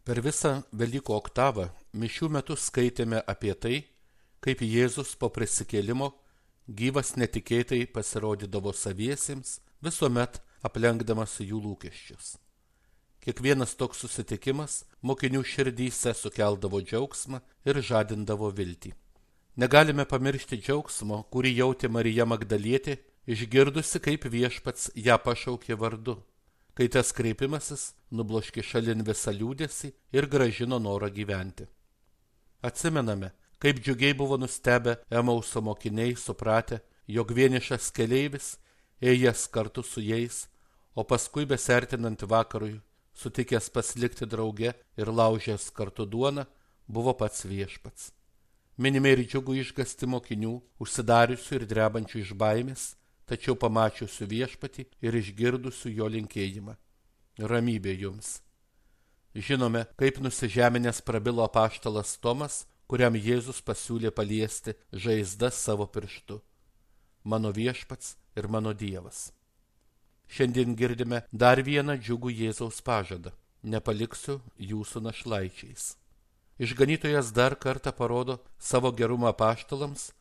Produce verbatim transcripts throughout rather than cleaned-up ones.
Per visą Velykų oktavą mišių metu skaitėme apie tai, kaip Jėzus po prisikėlimo gyvas netikėtai pasirodydavo saviesiems, visuomet aplenkdamas jų lūkesčius. Kiekvienas toks susitikimas mokinių širdyse sukeldavo džiaugsmą ir žadindavo viltį. Negalime pamiršti džiaugsmo, kurį jautė Marija Magdalietė, išgirdusi, kaip viešpats ją pašaukė vardu, kai tas kreipimasis nubloškė šalin visą liūdesį ir grąžino norą gyventi. Atsimename, kaip džiugiai buvo nustebę Emauso mokiniai supratę, jog vienišas keleivis ėjęs kartu su jais, o paskui besertinant vakarui, sutikęs pasilikti drauge ir laužęs kartu duoną, buvo pats viešpats. Minime ir džiugų išgąstį mokinių, užsidariusių ir drebančių iš baimės, tačiau pamačiusių viešpatį ir išgirdusių jo linkėjimą. Ramybė jums. Žinome, kaip nusižeminęs prabilo apaštalas Tomas, kuriam Jėzus pasiūlė paliesti žaizdas savo pirštu. Mano viešpats ir mano Dievas. Šiandien girdime dar vieną džiugų Jėzaus pažadą. Nepaliksiu jūsų našlaičiais. Išganytojas dar kartą parodo savo gerumą apaštalams,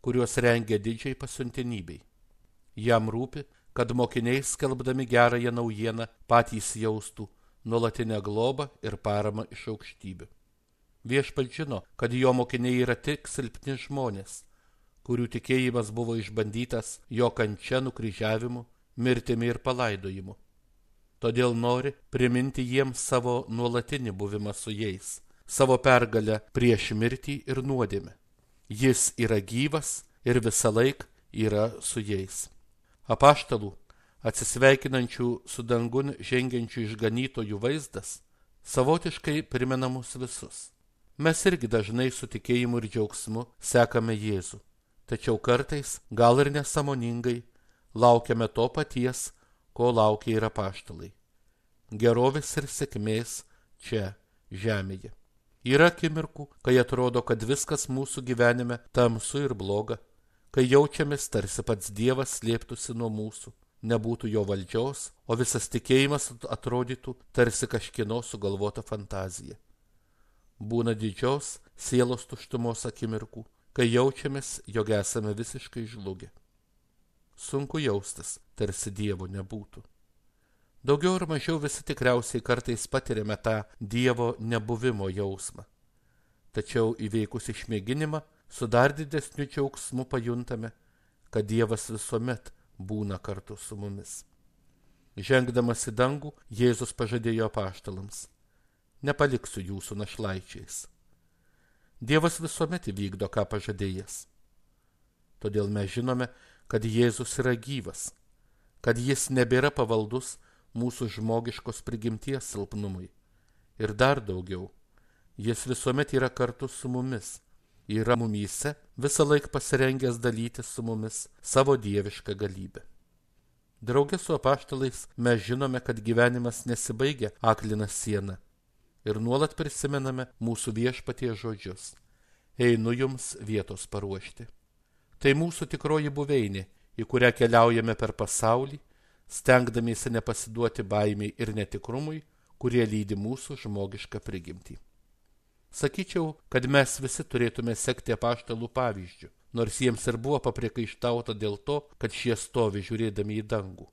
kuriuos rengia didžiai pasiuntinybei. Jam rūpi, kad mokiniai skelbdami gerąją naujieną patys jaustų nuolatinę globą ir paramą iš aukštybių. Viešpats žino, kad jo mokiniai yra tik silpni žmonės, kurių tikėjimas buvo išbandytas jo kančia, nukryžiavimu, mirtimi ir palaidojimu. Todėl nori priminti jiems savo nuolatinį buvimą su jais, savo pergalę prieš mirtį ir nuodėmę. Jis yra gyvas ir visąlaik yra su jais. Apaštalų, atsisveikinančių su dangun žengiančių išganytojų vaizdas, savotiškai primena mus visus. Mes irgi dažnai su tikėjimu ir džiaugsmu sekame Jėzų, tačiau kartais, gal ir nesąmoningai, laukiame to paties, ko laukia ir apaštalai. Gerovės ir sėkmės čia, žemėje. Yra akimirkų, kai atrodo, kad viskas mūsų gyvenime tamsu ir bloga, kai jaučiamės tarsi pats Dievas slėptųsi nuo mūsų, nebūtų jo valdžios, o visas tikėjimas atrodytų tarsi kažkieno sugalvota fantazija. Būna didžios sielos tuštumos akimirkų, kai jaučiamės, jog esame visiškai žlugę. Sunku jaustis, tarsi Dievo nebūtų. Daugiau ar mažiau visi tikriausiai kartais patiriame tą Dievo nebuvimo jausmą. Tačiau įveikus išmėginimą, su dar didesniu džiaugsmu pajuntame, kad Dievas visuomet būna kartu su mumis. Žengdamas į dangų, Jėzus pažadėjo apaštalams: nepaliksiu jūsų našlaičiais. Dievas visuomet įvykdo, ką pažadėjęs. Todėl mes žinome, kad Jėzus yra gyvas, kad jis nebėra pavaldus mūsų žmogiškos prigimties silpnumui. Ir dar daugiau, jis visuomet yra kartu su mumis, yra mumyse, visą laik pasirengęs dalytis su mumis savo dievišką galybę. Drauge su apaštalais mes žinome, kad gyvenimas nesibaigia aklina siena ir nuolat prisimename mūsų viešpaties žodžius: einu jums vietos paruošti. Tai mūsų tikroji buveinė, į kurią keliaujame per pasaulį, stengdamiesi nepasiduoti baimiai ir netikrumui, kurie lydi mūsų žmogišką prigimtį. Sakyčiau, kad mes visi turėtume sekti apaštalų pavyzdžiu, nors jiems ir buvo papriekaištauta dėl to, kad šie stovi žiūrėdami į dangų.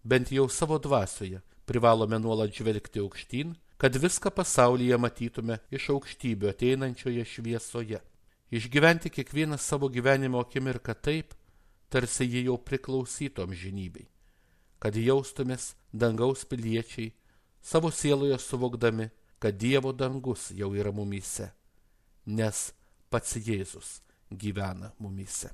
Bent jau savo dvasioje privalome nuolat žvelgti aukštyn, kad viską pasaulyje matytume iš aukštybių ateinančioje šviesoje. Išgyventi kiekvieną savo gyvenimo akimirką taip, tarsi jie jau priklausytų amžinybei, kad jaustumės dangaus piliečiai, savo sieloje suvokdami, kad Dievo dangus jau yra mumyse, nes pats Jėzus gyvena mumyse.